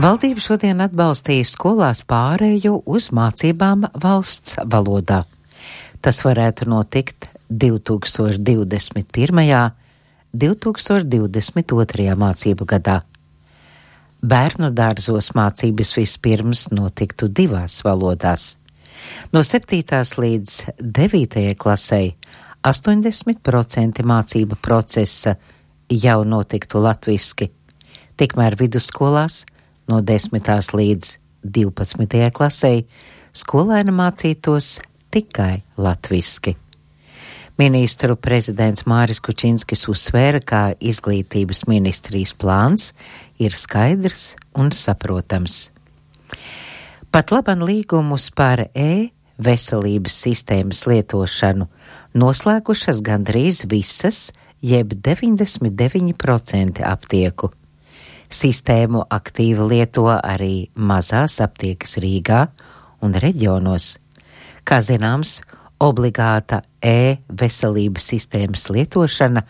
Valdība šodien atbalstīja skolās pārēju uz mācībām valsts valodā. Tas varētu notikt 2021. 2022. mācību gadā. Bērnu dārzos mācības vispirms notiktu 2 valodās. No 7. līdz 9. klasei 80% mācību procesa jau notiktu latviski, tikmēr vidusskolās no 10. līdz 12. klasei skolēni mācītos tikai latviski. Ministru prezidents Māris Kučinskis uzsvēra, ka izglītības ministrijas plāns ir skaidrs un saprotams. Pat laban līgumus par e-veselības sistēmas lietošanu noslēgušas gandrīz visas, jeb 99% aptieku. Sistēmu aktīvi lieto arī mazās aptiekas Rīgā un reģionos. Kā zināms, obligāta e-veselības sistēmas lietošana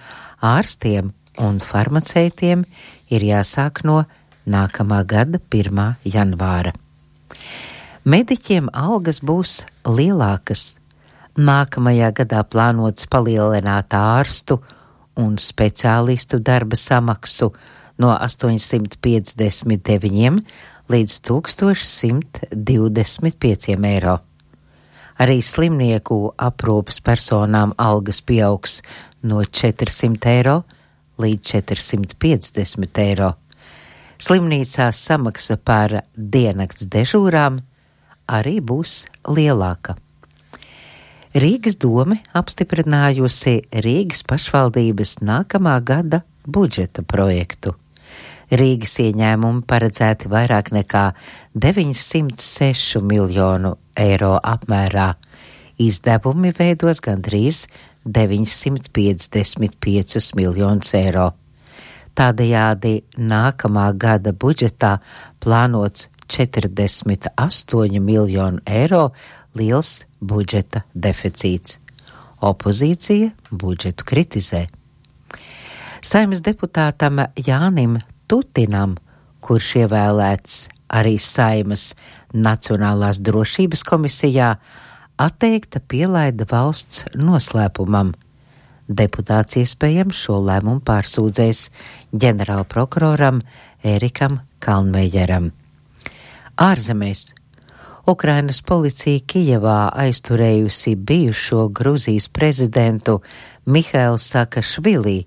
ārstiem un farmaceitiem ir jāsāk no nākamā gada 1. janvāra. Mediķiem algas būs lielākas. Nākamajā gadā plānots palielināt ārstu un speciālistu darba samaksu no 859 līdz 1125 eiro. Arī slimnieku aprūpes personām algas pieaugs no 400 eiro līdz 450 eiro. Slimnīcās samaksa par diennakts dežūrām arī būs lielāka. Rīgas dome apstiprinājusi Rīgas pašvaldības nākamā gada budžeta projektu. Rīgas ieņēmumi paredzēti vairāk nekā 906 miljonu eiro apmērā. Izdevumi veidos gandrīz 955 miljonus eiro. Tādējādi nākamā gada budžetā plānots 48 miljonu eiro liels budžeta deficīts. Opozīcija budžetu kritizē. Saeimas deputātam Jānim Tutinam, kurš ievēlēts arī Saeimas Nacionālās drošības komisijā, atteikta pielaida valsts noslēpumam. Deputāts iespējams šo lēmumu pārsūdzēs ģenerālprokuroram Ērikam Kalnmejeram. Ārzemēs. Ukrainas policija Kijevā aizturējusi bijušo Gruzijas prezidentu Mihailu Saakašvili,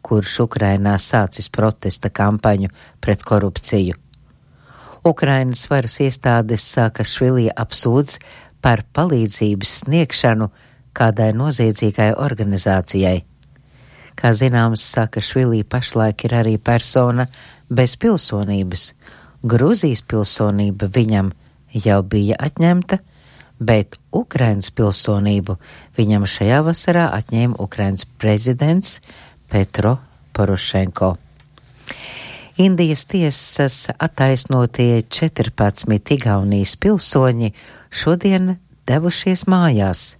kurš Ukrainā sācis protesta kampaņu pret korupciju. Ukrainas varas iestādes Saakašvili apsūdz par palīdzības sniegšanu kādai noziedzīgai organizācijai. Kā zināms, Saakašvili pašlaik ir arī persona bez pilsonības. Gruzijas pilsonība viņam jau bija atņemta, bet Ukrainas pilsonību viņam šajā vasarā atņēma Ukrainas prezidents Petro Porošenko. Indijas tiesas attaisnotie 14 Igaunijas pilsoņi šodien devušies mājās.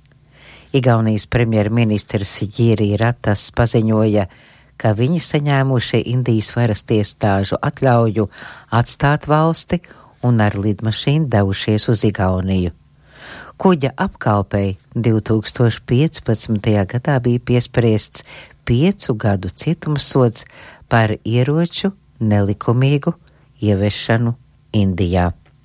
Igaunijas premjerministrs Jiri Ratas paziņoja, ka viņi saņēmuši Indijas varas iestāžu atļauju atstāt valsti un ar lidmašīnu devušies uz Igauniju. Kuģa apkalpei 2015. gadā bija piespriests 5 gadu cietumsods par ieroču nelikumīgu ieviešanu Indijā.